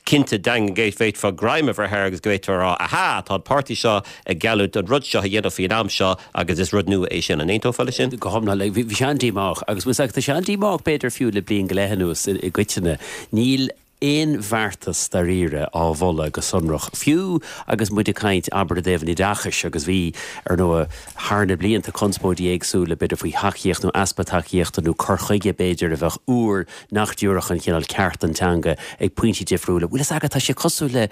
cinnte daingean go bhféadfá greim a bheith air agus go bhféadfá a rá, aha, tá an páirtí seo ag geallúint an rud seo a dhéanamh faoin am seo agus is rud nua é sin. An aontófá leis sin? Go hiomlán. Bhí sé an-díomách agus tá sé an-díomách b'fhéidir fiú le bliain go leith anuas i gcoitinne. Níl aon bheartas dáiríre á mholadh go sonrach. Fiú agus muid ag caint abair i dtaobh an oideachais agus bhí ar ndóigh thar na blianta conspóidí éagsúla b'fhéidir faoi thacaíocht nó easpa tacaíochta nó cur chuige b'fhéidir a bheadh úr nach dtabharfadh an cineál ceart don teanga ag pointí difriúla. Bhfuil fhios agat tá sé cosúil le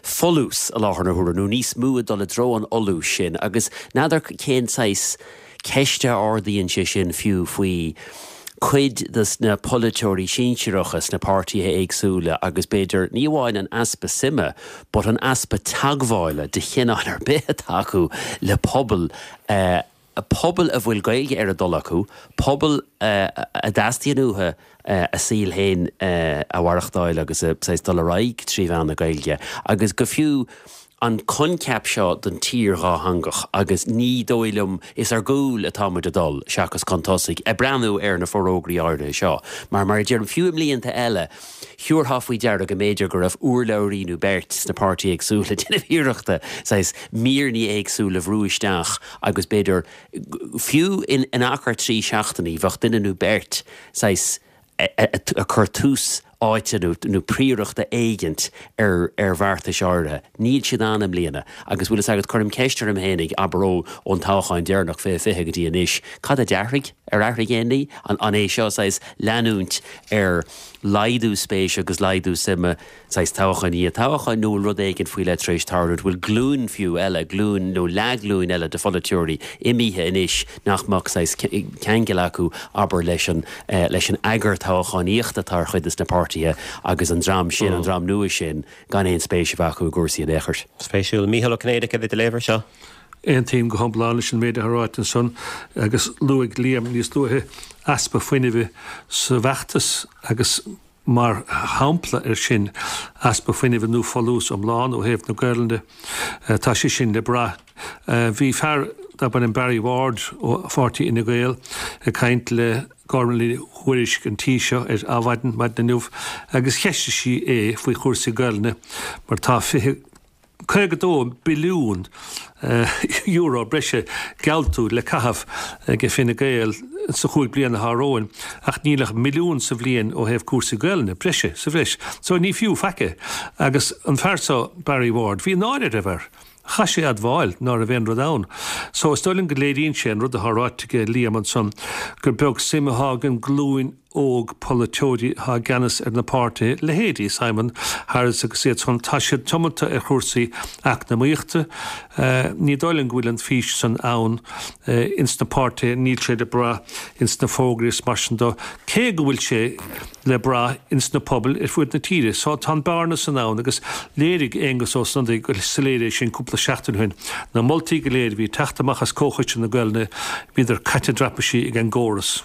folús i láthair na huaire nó níos mó ag dul i dtreo an fholúis sin agus n'fheadar cén saghas ceiste a ardaíonn sé sin fiú faoi cuid de na polaiteoirí sinsearacha sna páirtithe éagsúla agus b'fhéidir ní amháin an easpa suime, but an easpa teagmhála de chineál ar bith atá acu le pobal uh, pobal a bhfuil Gaeilge ar a dtoil acu, pobal uh, a dteastaíonn uathu uh, a saol féin uh, a mhaireachtáil agus a saghas dul ar aghaidh trí mheán na Gaeilge. Agus go fiú an coincheap seo den tír dhátheangach agus ní dóigh liom is ar gcúl atá muid ag dul seachas chun tosaigh ag breathnú ar na forógraí áirithe seo. Mar mar deirim fiú i mblianta eile, thabharfá faoi deara go mb'fhéidir go raibh urlabhraí nó beirt sna páirtithe éagsúla ag déanamh iarrachta saghas míreanna éagsúla a bhrú isteach agus b'fhéidir fiú in in achar trí seachtainí bheadh duine nó beirt saghas ag cur tús áite nó nó príorachta éigint ar ar bheartais áirithe. Níl siad ann i mbliana, agus bhfuil fhios agat cuirim ceist orm fhéinig abair ó ón toghchán deireanach fiche fiche go dtí anois. Cad a d'athraigh ar athraigh aon ní an an é seo saghas leanúint ar laghdú spéise agus laghdú suime saghas toghchán i ndiaidh toghcháin nó bhfuil rud éigin faoi leith tar éis tarlú, bhfuil glúin fiú eile, glúin nó leathghlúin eile de pholaiteoirí imithe anois nach mbeadh saghas ceangal acu abair leis an leis an eagar toghchánaíochta atá ar chuid de na páirtithe agus an dream sin, an dream nua sin gan aon spéis a bheith acu i gcúrsaí in aon chor. Spéisiúil. Mícheál Ó Cinnéide, cad é do léamh air seo? Aontaím go hiomlán leis an méid atá ráite ansan agus luaigh Liam níos luaithe easpa fuinnimh sa bhfeachtas agus mar shampla ar sin easpa fuinnimh nó folús iomlán ó thaobh na Gaelainne. Tá sé sin le brath. Bhí fear darb ainm Barry Ward ó pháirtí Fhine Gael ag caint le Gormlaith Ní Thuairisg an tí seo ar Adhmhaidin maidin inniu agus cheistigh sí é faoi chúrsaí Gaelainne mar tá fiche caoga dó billiún euro breise geallta le caitheamh ag Fine Gael sa chúig bliana atá romhainn, ach níl ach milliún sa bhliain ó thaobh cúrsaí Gaelainne, breise sa bhreis. So ní fiú faic é. Agus an fear seo, Barry Ward, bhí náire air air. Chaith sé admháil ná raibh aon rud ann. So is dóigh liom go léiríonn sé an rud atá ráite ag Liam ansan, gur beag suim atá ag an nglúin óg polaiteoirí atá i gceannas ar na páirtithe, leithéidí Simon Harris agus iad san, tá siad tiomanta ar chúrsaí eacnamaíochta. Ní dóigh liom go bhfuil an fís san ann ins na páirtithe, níl sé le brath ins na fógraí is mar sin de, cé go bhfuil sé le brath ins na pobail ar fuaid na tíre. So tá an bearna san ann agus léirigh Aengus Ó Snodaigh go soiléir é sin cúpla seachtain ó shin. Na moltaí go léir a bhí ag teacht amach as Comhchoiste na Gaelainne, bhíodar caite i dtraipisí ag an gcóras.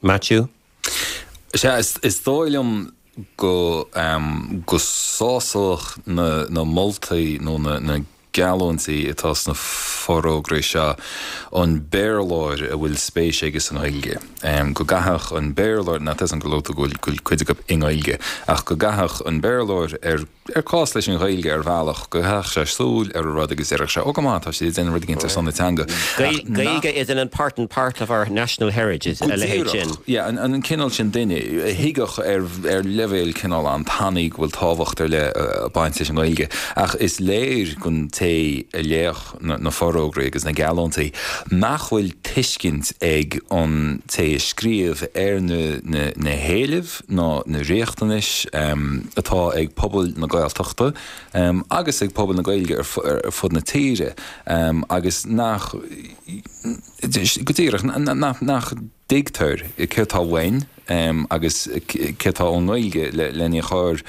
Maitiú? Sea, is dóigh liom go go sásódh na na moltaí nó na na geallúintí atá sna forógraí seo an Béarlóir a bhfuil spéis aige san Ghaeilge. Go gcaithfeadh an Béarlóir, ná tá a fhios agam go luaigh tú go bhfuil cuid acu i nGaeilge, ach go gcaithfeadh an Béarlóir ar ar cás leis an Ghaeilge ar bhealach, go gcaithfeadh sé súil ar an rud agus déarfadh sé, 'Ó go maith, tá siad ag déanamh rud éigin ar son na teanga. Gaeilge is an important part of our national heritage, a leithéid sin. Yeah, an an cineál sin duine a thuigfeadh ar ar leibhéal cineál an-tanaí go bhfuil tábhacht ar leith ag baint leis an nGaeilge. Ach is léir don té a léadh na na forógraí agus na geallúintí nach bhfuil tuiscint ag an té a scríobh ar na na na héilimh ná na riachtanais atá ag pobal na Gaeltachta agus ag pobal na Gaeilge ar fud na tíre agus nach, go díreach, nach dtuigtear céard atá uainn agus céard atá ón nGaeilge lena chur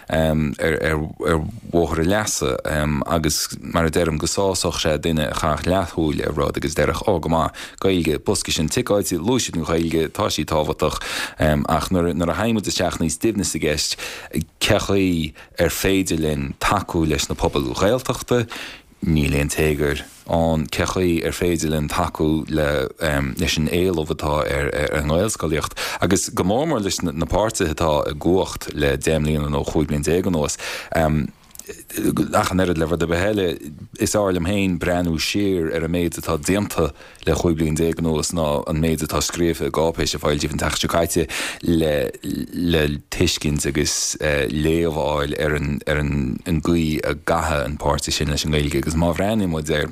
ar bhóthar a leasa agus mar a deirim go sásódh sé duine a chaithfeadh leathshúil ar rud agus déarfadh 'Ó go maith, Gaeilge, bosca sin ticeáilte, luaigh siad an Ghaeilge, tá sí tábhachtach' ach nuair a théann muid isteach níos doimhne sa gceist, cé chaoi ar féidir linn tacú leis na pobail Ghaeltachta, níl aon téagar ann, cé chaoi ar féidir linn tacú le leis an éileamh atá ar an nGaelscolaíocht agus go mór mór leis na páirtithe atá i gcumhacht le deich mbliana nó chúig bliana déag anuas. Ach an oiread le rud ar bith eile, is fearr liom féin breathnú siar ar an méid atá déanta le chúig bliana déag anuas ná an méid atá scríofa i gcáipéis a foilsíodh an tseachtain seo caite le le tuiscint agus léamh a fháil ar an ar an gcaoi a gcaitheann an páirtí sin leis an nGaeilge. Agus má bhreathnaíonn muid ar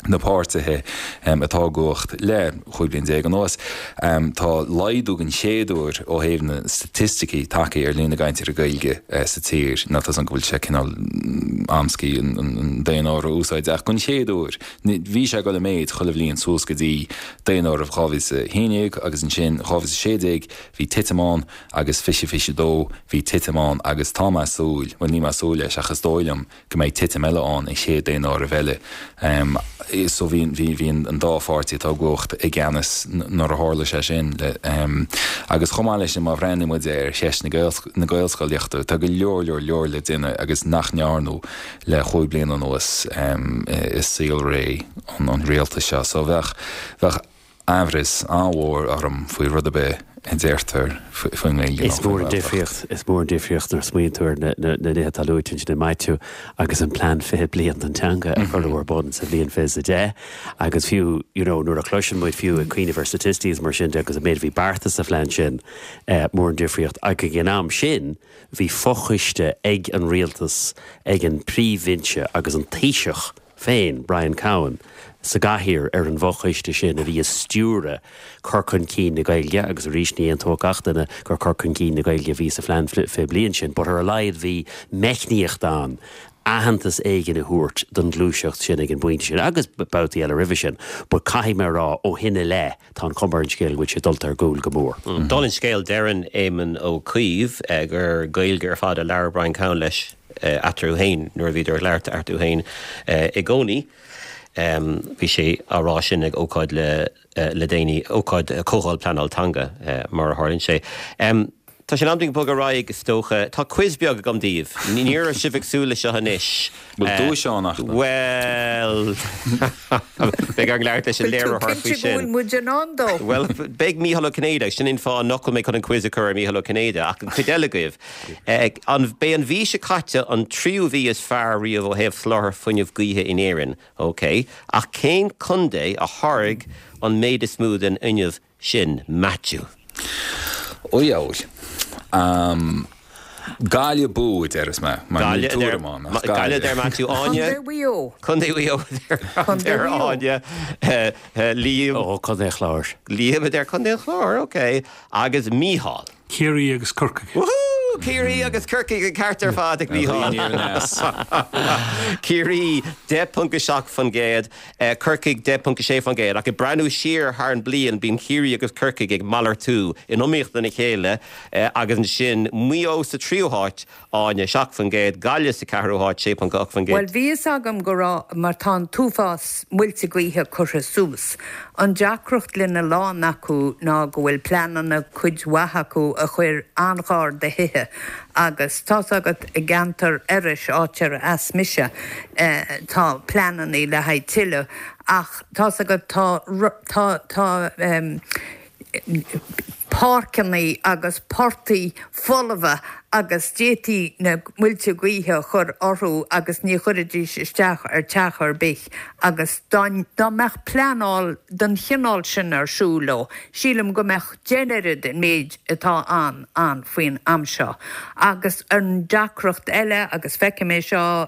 na páirtithe atá i gcumhacht le chúig bliana déag anuas. Tá laghdú den chéad uair ó thaobh na staitisticí tagtha ar líon na gcainteoirí Gaeilge sa tír. Níl a fhios agam go bhfuil sé cineál amscaí an daonáireamh a úsáid ach den chéad uair bhí sé ag dul i méid chuile bhliain suas go dtí daonáireamh dhá mhíle is a haon déag agus ansin dhá mhíle is a sé déag bhí titim ann agus fiche fiche dó bhí titim ann agus tá mé ag súil, bhuel níl mé ag súil leis ach is dóigh liom go mbeidh titim eile ann an chéad daonáireamh eile. So bhí bhí an dá pháirtí atá i gcumhacht i gceannas nuair a tharla sé sin. Agus chomh maith leis sin má bhreathnaíonn muid ar cheist na Gaelscolaíochta tá go leor leor leor le déanamh agus nach ndearnadh le chúig bliana anuas i saolré an rialtais seo. So bheadh bheadh amhras an-mhór orm faoi rud ar bith a deirtear faoin nGaeilge Is mór an difríocht, is mór an difríocht nuair a smaoiníonn tú ar na nithe atá luaite ansin ag Maitiú agus an plean fiche bliain don teanga a cuireadh ar bun sa bhliain fiche is a deich agus fiú you know nuair a chloiseann muid fiú ag cuimhneamh ar staitisticí is mar sin de agus an méid a bhí beartaithe sa phlean sin eh, mór an difríocht ag an am sin bhí fochoiste ag an rialtas ag an príomhbhinse agus an Taoiseach féin, Brian Cowen, sa gcathaoir ar an bhfochoiste sin a bhí ag stiúradh cur chun cinn na Gaeilge agus arís ní aontódh gach duine gur cur chun cinn na Gaeilge a bhí sa phlean fiche bliain sin but ar a laghad bhí meicníocht ann aitheantas éigin a thabhairt don ghluaiseacht sin ag an bpointe sin agus babhtaí eile roimhe sin but caithfidh mé a rá ó shin i leith tá an chuma ar an scéal go bhfuil sé dulta ar gcúl go mór. Dála an scéil deireann Éamon Ó Cuív gur Gaeilge ar fad a labhair Brian Cowen leis eatarthu féin nuair a bhíodar ag labhairt eatarthu féin i gcónaí. Bhí sé á rá sin ag ócáid le le déanaí, ócáid Comhdháil Pleanáil Teanga mar a tharlaíonn sé. Tá sé in am dúinn bogadh ar aghaidh is dócha. Tá quiz beag agam daoibh. Ní raibh sibh ag súil leis seo anois. Bhfuil duais ann ach? Bhuel, beidh orainn labhairt leis an Bhfuil tú léiritheoir faoi cinnte go sin. bhfuil muid in ann dó? Bhuel, beidh Mícheál Ó Cinnéide, sin an fáth nach bhfuil mé chun an quiz a chur ar Mícheál Ó Cinnéide, ach an chuid eile agaibh. An, b'é an mhí seo caite an tríú mhí is fearr riamh ó thaobh soláthar fuinnimh gaoithe in Éirinn, ok, ach cén contae a tháirg an méid is mó den fhuinneamh sin, Maitiú? Ó dheabhail. Gaillimh bú a déarfas mé, mar níl tuairim ann ach Gaillimh a deir Maitiú. Áine? Contae Mhaigh Eo. Contae Mhaigh Eo a deir Áine. Liam? Ó, Contae an Chláir. Liam a deir Contae an Chláir, ok. Agus Mícheál? Ciarraí agus Corcaigh. Woohoo! Ciarraí agus Corcaigh an ceart ar fad ag Mícheál. Ciarraí deich ponc a seacht faoin gcéad, Corcaigh deich ponc a sé faoin gcéad. Ach ag breathnú siar thar an bliain bíonn Ciarraí agus Corcaigh ag malartú in iomaíocht lena chéile agus ansin Maigh Eo sa tríú háit, Áine, seacht faoin gcéad, Gaillimh sa ceathrú háit, sé ponc a ocht faoin Bhuel gcéad. bhí fhios agam go raibh mar tá an t-uafás muilte gaoithe curtha suas. An deacracht lena lán acu ná go bhfuil pleananna cuid mhaith acu a chuir an-ghar do thithe agus tá's agat i gceantar Iorrais, áit ar as mise, tá pleananna le haghaidh tuilleadh ach tá's agat tá tá tá páirceanna agus portaigh folmha agus d'fhéadfaí na muilte gaoithe a chur orthu agus ní chuirfidís isteach ar teach ar bith agus dá dá mbeadh pleanáil den chineál sin ar siúl leo, sílim go mbeadh deich n-oiread an méid atá ann ann faoin am seo. Agus an deacracht eile, agus feicim é seo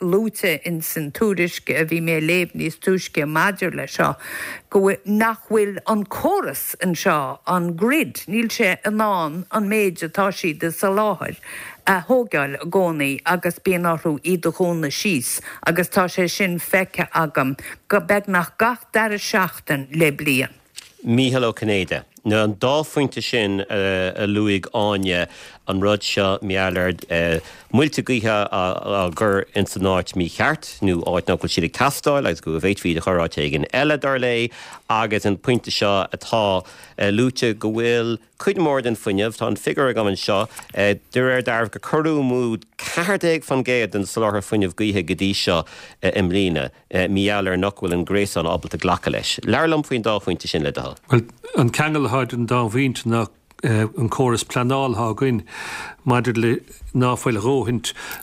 luaite ins an tuairisc a bhí mé a léamh níos túisce maidir le seo, go bhfuil, nach bhfuil an córas anseo, an grid, níl sé in ann an méid atá siad ag soláthar a thógáil i gcónaí agus bíonn orthu iad a dhúnadh síos agus tá sé sin feicthe agam go beagnach gach dara seachtain le bliain. Mícheál Ó Cinnéide, Na an dá phointe sin a luaigh Áine, an rud seo mar gheall ar muilte gaoithe á gcur ins an áit mícheart nó áit nach bhfuil siad ag teastáil agus go bhféadfaí iad a chur áit éigin eile dar léi agus an pointe seo atá luaite go bhfuil cuid mhór den fuinneamh, tá an figiúr agam anseo, de réir dealraimh gur cuireadh amú ceathair déag faoin gcéad den soláthar fuinnimh gaoithe go dtí seo i mbliana mar gheall ar nach bhfuil an gréasán ábalta glacadh leis. Labhair liom faoin dá phointe sin le do thoil. Bhuel, an ceangal atá idir an dá phointe ná an córas pleanála atá againn maidir le ná fuil a dhóthain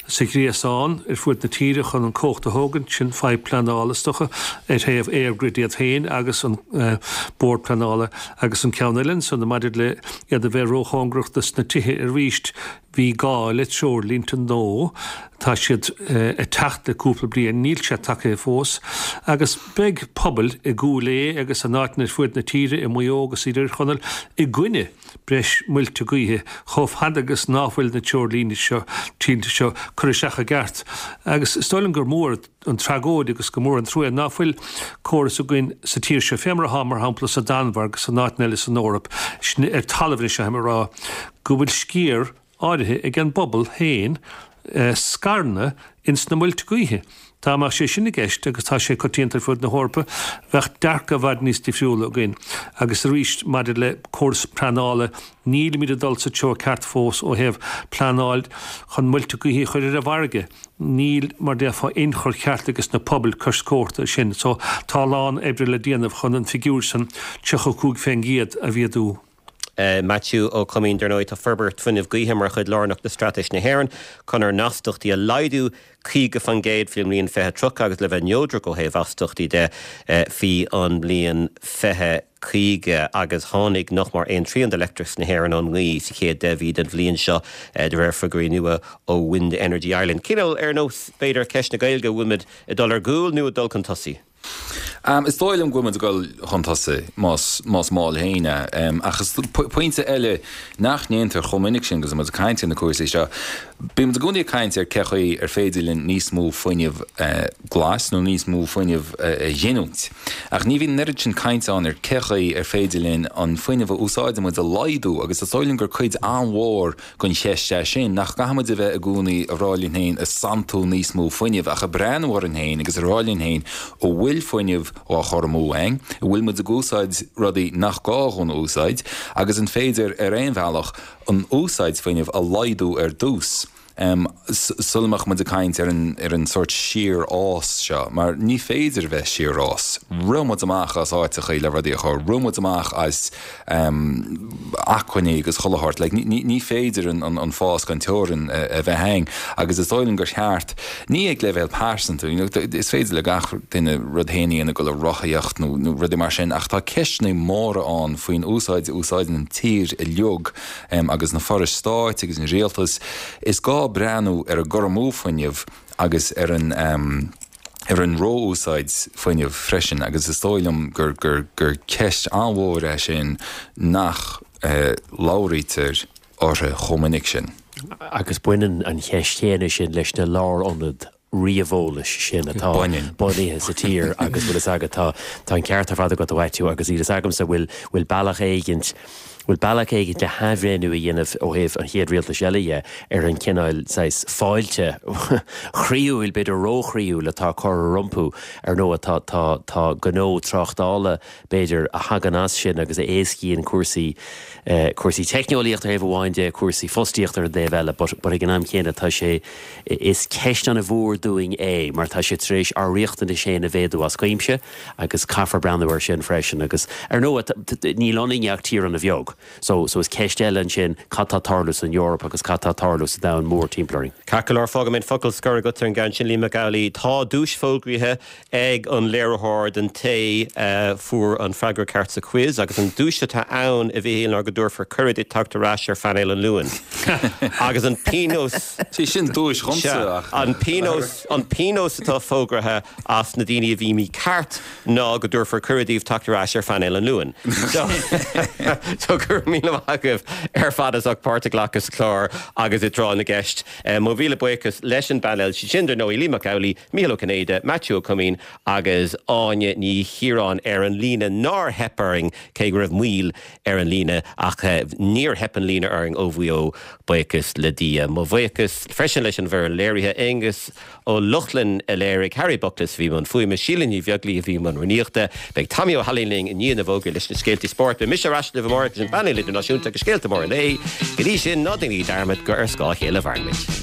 sa ghréasán ar fud na tíre chun an cumhacht a thógaint, sin fadhb pleanála is dócha ar thaobh EirGrid iad féin agus an Bord Pleanála agus an ceann eile ansan maidir le iad a bheith róchóngarach dos na tithe arís bhí gá le treoirlínte nua, tá siad ag teacht le cúpla bliain, níl sé tagtha fós, agus beidh pobail i gCúil Aodha agus in áiteanna ar fud na tíre, i Maigh Eo agus i dTír Chonaill, i gcoinne breis muilte gaoithe, chomh fada agus ná fuil na treoirlínte seo, tínte seo curtha isteach i gceart. Agus is dóigh liom gur mór an tragóid agus gur mór an trua ná fuil córas againn sa tír seo, fé mar atá, mar shampla, sa Danmhairg agus in áiteanna eile san Eoraip, sin ar talamh anois, aithim a rá, go bhfuil sciar áirithe ag an bpobal féin scaireanna ins na muilte gaoithe. Dá mbeadh sé sin i gceist, agus tá sé coitianta ar fud na hEorpa, bheadh dearcadh i bhfad níos difriúla againn. Agus arís, maidir le córas pleanála, nílimid ag dul sa treo ceart fós ó thaobh pleanáil chun muilte gaoithe a chur ar an bhfarraige. Níl, mar déarfá, ionchur ceart ages na pobail cois cósta sin. So, tá a lán oibre le déanamh chun an figiúr san, tríocha cúig fén gcéad, a mhéadú. Maitiú Ó Coimín, Dar ndóigh, tá forbairt fuinnimh gaoithe mar chuid lárnach de Straitéis na hÉireann chun ár n-astachtaí a laghdú caoga faoin gcéad faoin mbliain fiche tríocha agus le bheith neodrach ó thaobh astachtaí de faoi an mbliain fiche caoga agus tháinig nach mór aon trian de leictreachas na hÉireann ón ngaoth sa chéad deich mhí den bhliain seo de réir figiúirí nua ó Wind Energy Ireland. Cineál ar nós, b'fhéidir, ceist na Gaeilge, bhfuil muid ag dul ar gcúl nó ag dul chun tosaigh? Is dóigh liom go bhfuil muid ag dul chun tosaigh, más más maith féin é. Ach is pointe eile nach ndéantar chomh minic sin agus muid ag caint ar na cúrsaí seo, bíonn muid i gcónaí ag caint ar cé chaoi ar féidir linn níos mó fuinneamh glas nó níos mó fuinneamh a ghiniúint. Ach ní bhíonn an oiread sin cainte ann ar cé chaoi ar féidir linn an fuinneamh a úsáideann muid a laghdú agus is dóigh liom gur cuid an-mhór den cheist é sin, nach gcaithfidh muid a bheith i gcónaí ag rá linn féin ag santú níos mó fuinnimh ach ag breathnú orainn féin agus ag rá linn féin an bhfuil fuinneamh á chur amú againn, an bhfuil muid ag úsáid rudaí nach gá dhúinn a úsáid agus an féidir ar aon bhealach an úsáid fuinnimh a laghdú ar dtús. sula mbeadh muid ag caint ar an ar an sórt síorfhás seo, mar ní féidir a bheith síorfhás. Rith muid amach as áiteachaí le rudaí a chur, rith muid amach as acmhainní agus chuile shórt. Like, ní ní féidir an an an fás gan teorainn a bheith ann agus is dóigh liom gur cheart, ní ag leibhéal pearsanta, you know, is féidir le gach duine rud féin a dhéanamh, dul ag rothaíocht nó nó rudaí mar sin, ach tá ceisteanna móra ann faoin úsáid a úsáideann an tír uilig agus na forais stáit agus an rialtas. Is gá breathnú ar an gcur amú fuinnimh agus ar an ar an ró-úsáid fuinnimh freisin agus is dóigh liom gur gur gur ceist an-mhór é sin nach labhraítear uirthi chomh minic sin. Agus baineann an cheist chéanna sin leis na lárionaid ríomheolais sin atá bunaithe sa tír agus bhfuil fhios agat tá tá an ceart ar fad agat a Mhaitiú agus níl fhios agamsa bhfuil bhfuil bealach éigint bhfuil bealach éigint le hathbhreithniú a dhéanamh ó thaobh an chéad rialtais eile dhe ar an chineál saghas fáilte chroíúil b'fhéidir róchroíúil atá curtha rompu ar ndóigh tá tá tá gnó tráchtála b'fhéidir a thagann as sin agus a éascaíonn cúrsaí cúrsaí teicneolaíochta ar thaobh amháin de, cúrsaí fostaíochta ar an dtaobh eile but but ag an am chéanna tá sé, is ceist an-mhór dúinn é mar tá sé tar éis ár riachtanais féin a mhéadú as cuimse agus caithfear breathnú air sin freisin agus ar ndóigh níl ionainn ach tír an-bheag so so is ceist eile ansin cad tá ag tarlú san Eoraip agus cad tá ag tarlú sa domhan mór timpeall orainn. Ceart go leor, fágfaidh mé an focal scoir agat ar an gceann sin, Liam Mac Amhlaigh. Tá duais fógraithe ag an léiritheoir don té a fuair an freagra ceart sa quiz agus an duais atá ann, a Mhichíl, ná go dtabharfar cuireadh duit teacht ar ais ar phainéal an Luain. Agus an pionós. Sé sin duais dhomsa ach. An pionós, an pionós atá fógraithe as na daoine a bhí mícheart ná go dtabharfar cuireadh daoibh teacht ar ais ar phainéal an Luain. So, so go raibh míle maith agaibh ar fad as ucht páirt a ghlacadh sa chlár agus i dtráth na gceist. Mo mhíle buíochas leis an bpainéal, siad sin dar ndóigh Liam Mac Amhlaigh, Mícheál Ó Cinnéide, Maitiú Ó Coimín agus Áine Ní Chiaráin ar an líne nár theip orainn, cé go raibh moill ar an líne, ach níor theip an líne orainn ó Mhaigh Eo, buíochas le Dia. Mo bhuíochas freisin leis an bhfoireann léirithe, Aonghus Ó Lochlainn a léirigh, Harry Buckless a bhí i mbun fuaime, Síle Ní Bheaglaoich a bhí i mbun rúnaíochta. Beidh Tommy Ó hAilín linn i ndiaidh na bhfógraí leis na scéaltaí spóirt. Beidh mise ar ais libh amárach leis an bpainéal idirnáisiúnta agus scéalta móra an lae. Go dtí sin, ná déanaigí dearmad gur ar scáth a chéile a mhaireann muid.